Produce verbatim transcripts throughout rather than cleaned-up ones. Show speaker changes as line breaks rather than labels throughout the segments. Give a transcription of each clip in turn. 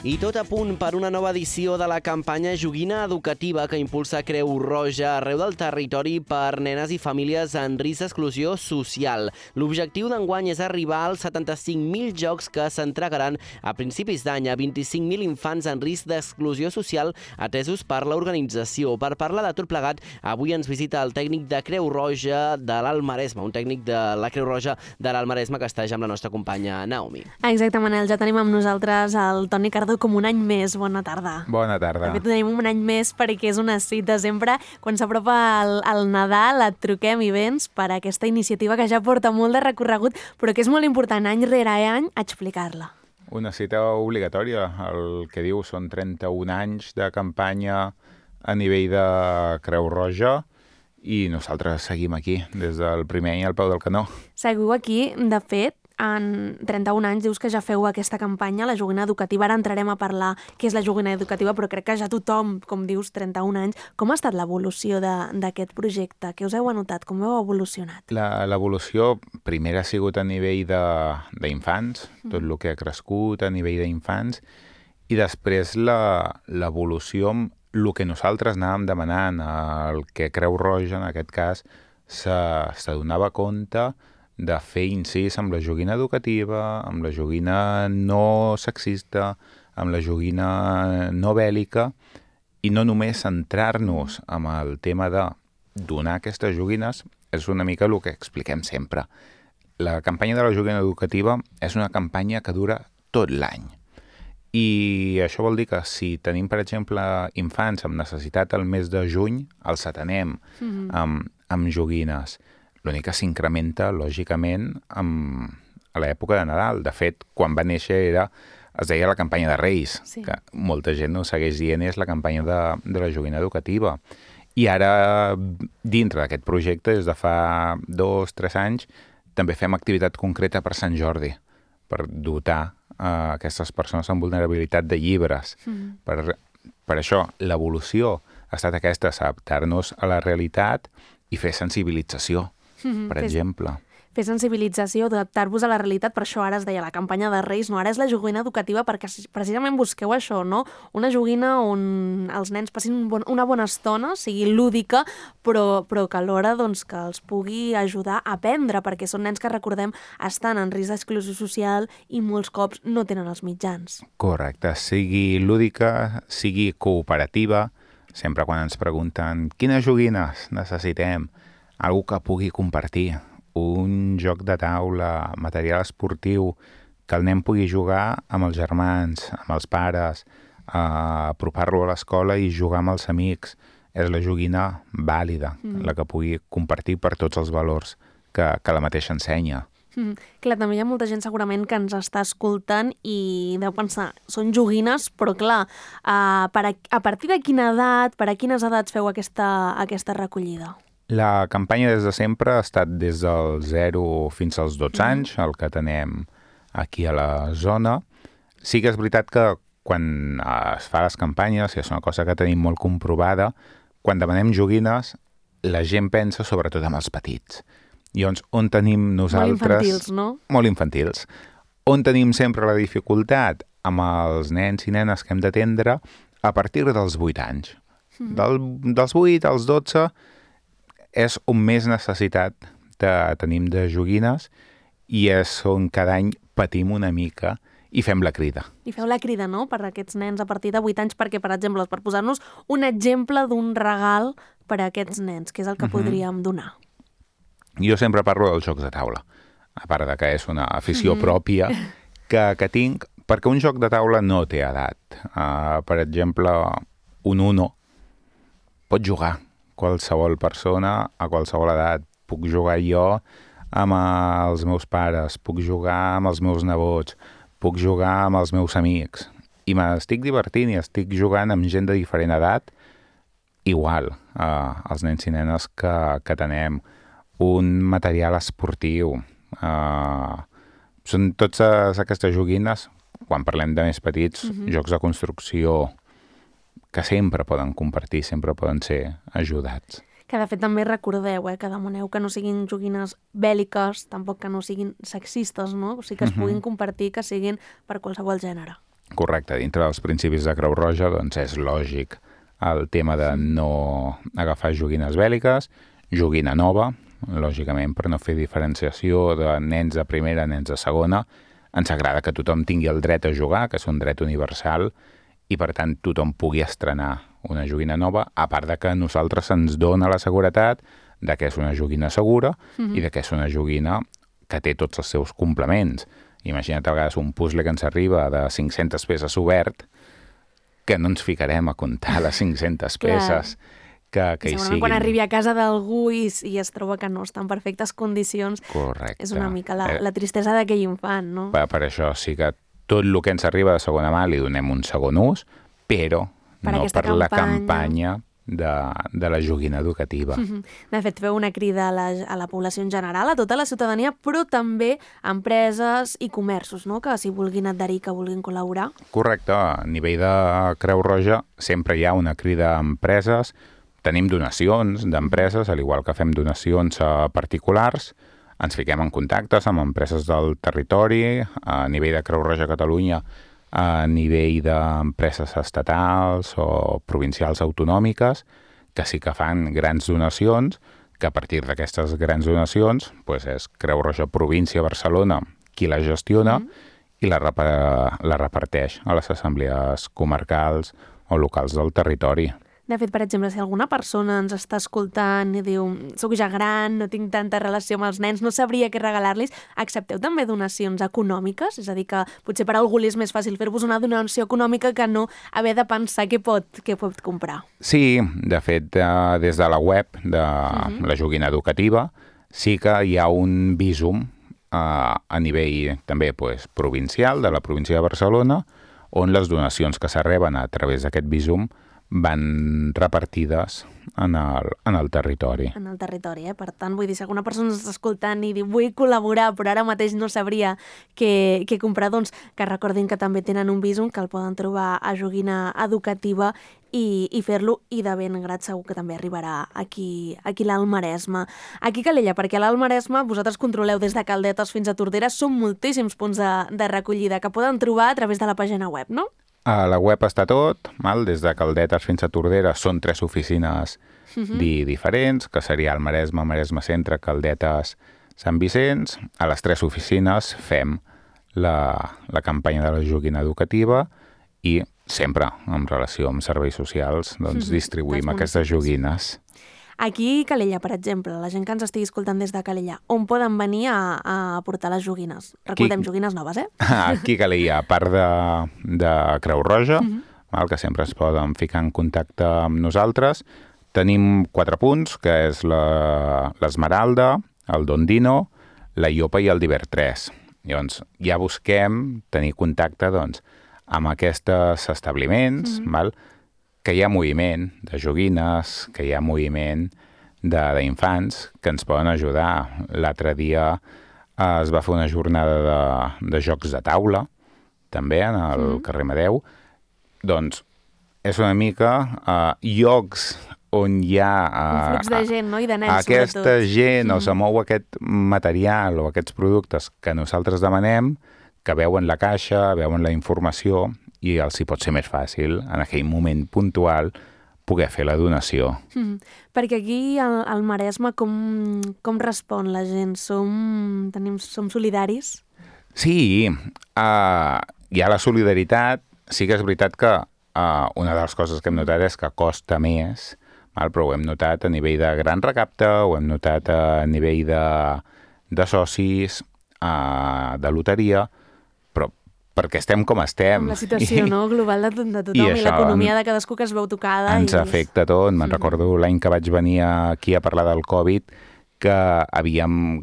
I tot a punt per una nova edició de la campanya Joguina Educativa que impulsa Creu Roja arreu del territori per nenes i famílies en risc d'exclusió social. L'objectiu d'enguany és arribar als setanta-cinc mil jocs que s'entregaran a principis d'any a vint-i-cinc mil infants en risc d'exclusió social atesos per l'organització. Per parlar de tot plegat, avui ens visita el tècnic de Creu Roja de l'Alt Maresme, un tècnic de la Creu Roja de l'Alt Maresme que està ja amb la nostra companya Naomi.
Exacte, Manel, ja tenim amb nosaltres el Toni Cardó com un any més. Bona tarda.
Bona tarda.
De fet, tenim un any més perquè és una cita sempre. Quan s'apropa el, el Nadal et truquem i vens per a aquesta iniciativa que ja porta molt de recorregut, però que és molt important any rere any explicar-la.
Una cita obligatòria. El que diu són trenta-un anys de campanya a nivell de Creu Roja i nosaltres seguim aquí des del primer any al peu del canó.
Seguiu aquí, de fet, en trenta-un anys dius que ja feu aquesta campanya, la joguina educativa. Ara entrarem a parlar què és la joguina educativa, però crec que ja tothom, com dius, trenta-un anys. Com ha estat l'evolució d'aquest projecte? Què us heu anotat? Com heu evolucionat?
L'evolució primera ha sigut a nivell d'infants, tot el que ha crescut a nivell d'infants, i després l'evolució amb el que nosaltres anàvem demanant, el que Creu Roja, en aquest cas, s'adonava compte de fer incís amb la joguina educativa, amb la joguina no sexista, amb la joguina no bèl·lica, i no només centrar-nos en el tema de donar aquestes joguines, és una mica el que expliquem sempre. La campanya de la joguina educativa és una campanya que dura tot l'any. I això vol dir que si tenim, per exemple, infants amb necessitat al mes de juny, els atenem mm-hmm. amb, amb joguines. L'únic que s'incrementa, lògicament, amb, a l'època de Nadal. De fet, quan va néixer era, es deia la campanya de Reis, sí. que molta gent no segueix dient és la campanya de, de la joguina educativa. I ara, dintre d'aquest projecte, des de fa dos, tres anys, també fem activitat concreta per Sant Jordi, per dotar a aquestes persones amb vulnerabilitat de llibres. Mm. Per, per això, l'evolució ha estat aquesta, adaptar-nos a la realitat i fer sensibilització. Mm-hmm. Per exemple.
Fer sensibilització, adaptar-vos a la realitat, per això ara es deia la campanya de Reis, no? Ara és la joguina educativa perquè precisament busqueu això, no? Una joguina on els nens passin un bon, una bona estona, sigui lúdica, però, però que alhora doncs, que els pugui ajudar a aprendre, perquè són nens que, recordem, estan en risc d'exclusió social i molts cops no tenen els mitjans.
Correcte, sigui lúdica, sigui cooperativa, sempre quan ens pregunten quines joguines necessitem, algú que pugui compartir, un joc de taula, material esportiu, que el nen pugui jugar amb els germans, amb els pares, eh, apropar-lo a l'escola i jugar amb els amics. És la joguina vàlida, mm. la que pugui compartir per tots els valors que, que la mateixa ensenya.
Mm. Clar, també hi ha molta gent segurament que ens està escoltant i deu pensar, són joguines, però clar, uh, per a, a partir de quina edat, per a quines edats feu aquesta, aquesta recollida?
La campanya des de sempre ha estat des del zero fins als dotze mm. anys, el que tenem aquí a la zona. Sí que és veritat que quan es fa les campanyes, i és una cosa que tenim molt comprovada, quan demanem joguines, la gent pensa sobretot en els petits. I on, on tenim nosaltres...
Molt infantils, no?
Molt infantils. On tenim sempre la dificultat? Amb els nens i nenes que hem d'atendre a partir dels vuit anys. Mm. Del, dels vuit als dotze és on més necessitat de, tenim de joguines i és on cada any patim una mica i fem la crida.
I feu la crida, no?, per a aquests nens a partir de vuit anys, perquè, per exemple, per posar-nos un exemple d'un regal per a aquests nens, que és el que mm-hmm. podríem donar.
Jo sempre parlo dels jocs de taula, a part de que és una afició mm-hmm. pròpia que, que tinc, perquè un joc de taula no té edat. Uh, per exemple, un Uno pot jugar qualsevol persona a qualsevol edat. Puc jugar jo amb els meus pares, puc jugar amb els meus nebots, puc jugar amb els meus amics. I m'estic divertint i estic jugant amb gent de diferent edat, igual eh, els nens i nenes que, que tenem. Un material esportiu. Eh, són totes aquestes joguines, quan parlem de més petits, mm-hmm. jocs de construcció, que sempre poden compartir, sempre poden ser ajudats.
Que de fet també recordeu, eh, que demaneu que no siguin joguines bèl·liques, tampoc que no siguin sexistes, no? O sigui que es puguin compartir, que siguin per qualsevol gènere.
Correcte, dintre dels principis de Creu Roja doncs és lògic el tema de no agafar joguines bèl·liques, joguina nova, lògicament per no fer diferenciació de nens de primera, nens de segona. Ens agrada que tothom tingui el dret a jugar, que és un dret universal, i per tant tothom pugui estrenar una joguina nova, a part de que a nosaltres ens dona la seguretat de que és una joguina segura mm-hmm. i de que és una joguina que té tots els seus complements. Imagina't a vegades un puzzle que ens arriba de cinc-centes peces obert, que no ens ficarem a comptar les cinc-centes peces que, que hi siguin.
Quan arribi a casa d'algú i, i es troba que no està en perfectes condicions,
correcte.
És una mica la, la tristesa d'aquell infant, no?
Per, per això sí que tot el que ens arriba de segona mà li donem un segon ús, però per no per campanya. La campanya de, de la joguina educativa.
De fet, feu una crida a la, a la població en general, a tota la ciutadania, però també a empreses i comerços, no?, que s'hi vulguin adherir, que vulguin col·laborar.
Correcte. A nivell de Creu Roja sempre hi ha una crida a empreses. Tenim donacions d'empreses, al igual que fem donacions a particulars. Ens fiquem en contactes amb empreses del territori, a nivell de Creu Roja Catalunya, a nivell d'empreses estatals o provincials autonòmiques, que sí que fan grans donacions, que a partir d'aquestes grans donacions pues és Creu Roja Província Barcelona qui la gestiona mm. i la, rep la reparteix a les assemblees comarcals o locals del territori.
De fet, per exemple, si alguna persona ens està escoltant i diu soc ja gran, no tinc tanta relació amb els nens, no sabria què regalar-los, accepteu també donacions econòmiques? És a dir, que potser per a algú li és més fàcil fer-vos una donació econòmica que no haver de pensar què pot, què pot comprar.
Sí, de fet, des de la web de uh-huh. la joguina educativa sí que hi ha un visum a, a nivell també pues, provincial, de la província de Barcelona, on les donacions que s'arreben a través d'aquest visum van repartides en el, en el territori.
En el territori, eh? Per tant, vull dir, si alguna persona ens està escoltant i diu vull col·laborar, però ara mateix no sabria què, què comprar, doncs que recordin que també tenen un visum, que el poden trobar a Joguina Educativa i, i fer-lo, i de ben grat segur que també arribarà aquí, aquí a l'Alt Maresme. Aquí a Calella, perquè a l'Alt Maresme vosaltres controleu des de Caldetes fins a Tordera, són moltíssims punts de, de recollida que poden trobar a través de la pàgina web, no?
A la web està tot, mal, des de Caldetes fins a Tordera són tres oficines uh-huh. di diferents, que seria el Maresme, Maresme Centre, Caldetes, Sant Vicenç. A les tres oficines fem la, la campanya de la joguina educativa i sempre, en relació amb serveis socials, doncs uh-huh. distribuïm aquestes joguines.
Aquí a Calella, per exemple, la gent que ens estigui escoltant des de Calella, on poden venir a, a portar les joguines? Recordem, Aquí... joguines noves, eh?
Aquí a Calella, a part de, de Creu Roja, uh-huh. val, que sempre es poden ficar en contacte amb nosaltres, tenim quatre punts, que és l'Esmeralda, el Dondino, la Iopa i el Divert tres. Llavors, ja busquem tenir contacte doncs, amb aquests establiments, uh-huh. val, que hi ha moviment de joguines, que hi ha moviment d'infants que ens poden ajudar. L'altre dia eh, es va fer una jornada de, de jocs de taula, també, en el mm. carrer Amadeu. Doncs és una mica eh, llocs on hi ha... Eh,
un flux de gent, no? I de nens,
aquesta
sobretot.
gent,
mm.
o se mou aquest material o aquests productes que nosaltres demanem, que veuen la caixa, veuen la informació, i els hi pot ser més fàcil, en aquell moment puntual, poder fer la donació.
Mm. Perquè aquí, al, al Maresme, com, com respon la gent? Som, tenim, som solidaris?
Sí, uh, hi ha la solidaritat. Sí que és veritat que uh, una de les coses que hem notat és que costa més, val? Però ho hem notat a nivell de gran recapte, ho hem notat a nivell de, de socis, uh, de loteria, perquè estem com estem.
Amb la situació I, no? global de, de tothom i, i l'economia de cadascú que es veu tocada.
Ens
i...
afecta tot. Me'n mm. recordo l'any que vaig venir aquí a parlar del Covid, que havíem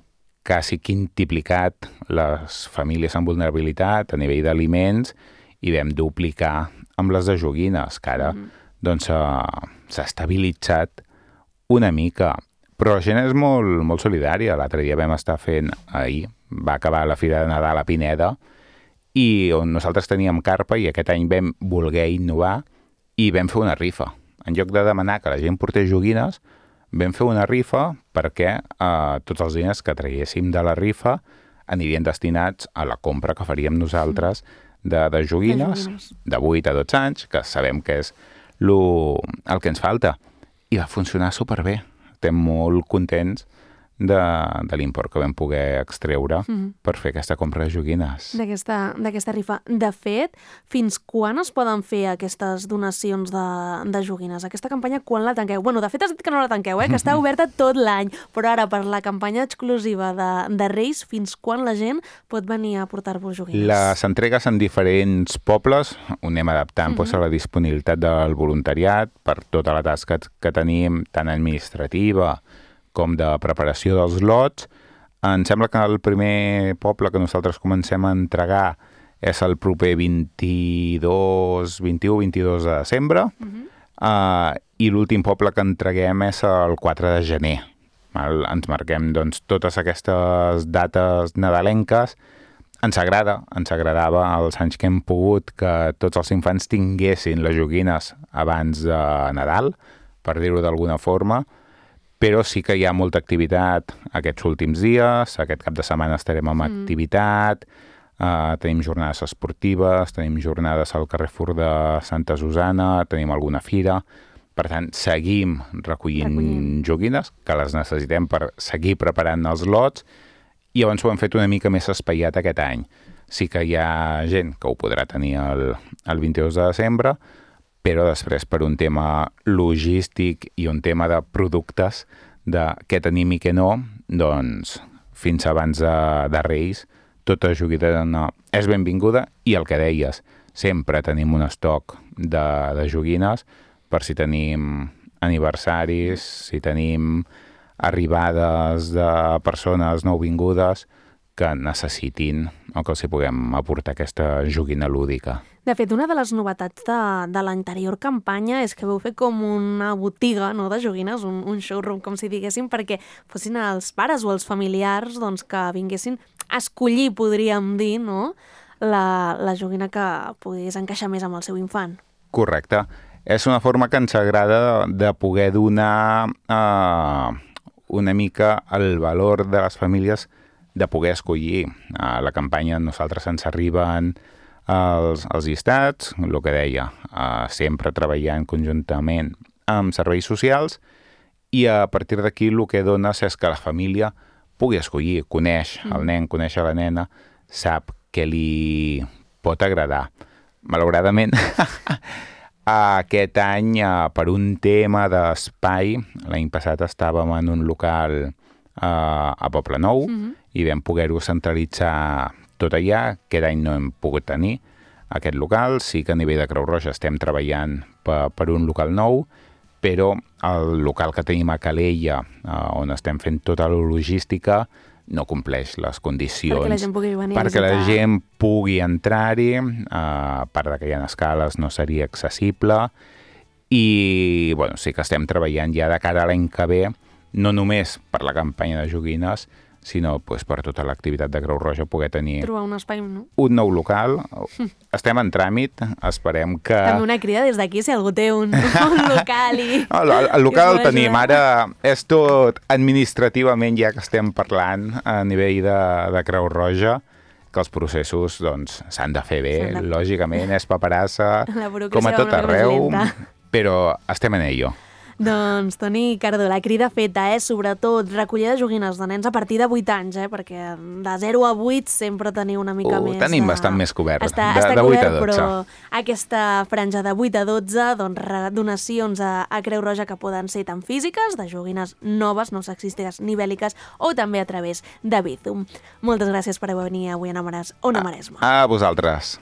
quasi quintuplicat les famílies amb vulnerabilitat a nivell d'aliments i vam duplicar amb les de joguines, que ara mm. doncs, s'ha estabilitzat una mica. Però la gent és molt, molt solidària. L'altre dia vam estar fent, ahir, va acabar la Fira de Nadal a Pineda, i on nosaltres teníem carpa i aquest any vam voler innovar i vam fer una rifa. En lloc de demanar que la gent portés joguines, vam fer una rifa perquè eh, tots els diners que traguéssim de la rifa anirien destinats a la compra que faríem nosaltres de, de joguines, de vuit a dotze anys, que sabem que és lo, el que ens falta. I va funcionar superbé. Estem molt contents de, de l'import que vam poder extreure mm-hmm. per fer aquesta compra de joguines.
D'aquesta rifa. De fet, fins quan es poden fer aquestes donacions de, de joguines? Aquesta campanya, quan la tanqueu? Bueno, de fet has dit que no la tanqueu, eh? Que està oberta tot l'any, però ara per la campanya exclusiva de, de Reis, fins quan la gent pot venir a portar-vos joguines?
Les entregues en diferents pobles, ho anem adaptant mm-hmm. doncs, a la disponibilitat del voluntariat per tota la tasca que tenim, tant administrativa com de preparació dels lots. Em sembla que el primer poble que nosaltres comencem a entregar és el proper vint-i-dos, vint-i-u vint-i-dos de desembre, uh-huh. uh, i l'últim poble que entreguem és el quatre de gener. Val? Ens marquem doncs, totes aquestes dates nadalenques. Ens agrada, ens agradava els anys que hem pogut que tots els infants tinguessin les joguines abans de Nadal, per dir-ho d'alguna forma, però sí que hi ha molta activitat aquests últims dies. Aquest cap de setmana estarem amb mm. activitat, uh, tenim jornades esportives, tenim jornades al Carrefour de Santa Susana, tenim alguna fira. Per tant, seguim recollint Recollint. joguines, que les necessitem per seguir preparant els lots, i llavors ho hem fet una mica més espaiat aquest any. Sí que hi ha gent que ho podrà tenir el, el vint-i-dos de desembre, però després per un tema logístic i un tema de productes, de què tenim i què no, doncs fins abans de, de Reis, tota joguina és benvinguda, i el que deies, sempre tenim un estoc de, de joguines per si tenim aniversaris, si tenim arribades de persones nouvingudes que necessitin o que els hi puguem aportar aquesta joguina lúdica.
De fet, una de les novetats de, de l'anterior campanya és que vau fer com una botiga, no, de joguines, un, un showroom, com si diguéssim, perquè fossin els pares o els familiars doncs, que vinguessin a escollir, podríem dir, no, la, la joguina que pogués encaixar més amb el seu infant.
Correcte. És una forma que ens agrada de poder donar eh, una mica el valor de les famílies de poder escollir. A la campanya nosaltres ens arriben els, els llistats, el que deia, eh, sempre treballant conjuntament amb serveis socials, i a partir d'aquí el que dones és que la família pugui escollir, coneix mm. el nen, coneix la nena, sap què li pot agradar. Malauradament, aquest any, per un tema d'espai, l'any passat estàvem en un local eh, a Poblenou, mm-hmm. i vam poder-ho centralitzar tot allà. Aquest any no hem pogut tenir aquest local. Sí que a nivell de Creu Roja estem treballant per, per un local nou, però el local que tenim a Calella, eh, on estem fent tota la logística, no compleix les condicions
perquè la gent pugui venir
perquè
a
la gent pugui entrar-hi, eh, a part que hi ha escales no seria accessible, i bueno, sí que estem treballant ja de cara a l'any que ve, no només per la campanya de joguines, sinó pues, per tota l'activitat de Creu Roja poder tenir
trobar un espai, no?
Un nou local. Estem en tràmit, esperem que...
També una crida des d'aquí, si algú té un, un local i...
No, el, el local el tenim, ara és tot administrativament ja que estem parlant a nivell de, de Creu Roja, que els processos doncs s'han de fer bé, de... lògicament, és paperassa, com a tot arreu, però estem en ello.
Doncs, Toni Cardó, la crida feta, eh? Sobretot recollir de joguines de nens a partir de vuit anys, eh? Perquè de zero a vuit sempre teniu una mica
uh,
més...
Tenim
de...
bastant més cobert,
està,
de,
està
de vuit
cobert,
a dotze.
Però aquesta franja de vuit a dotze, doncs, donacions a, a Creu Roja que poden ser tan físiques, de joguines noves, no sexistes ni bèl·liques, o també a través de Bizum. Moltes gràcies per venir avui a Ona Maresma.
A, a vosaltres.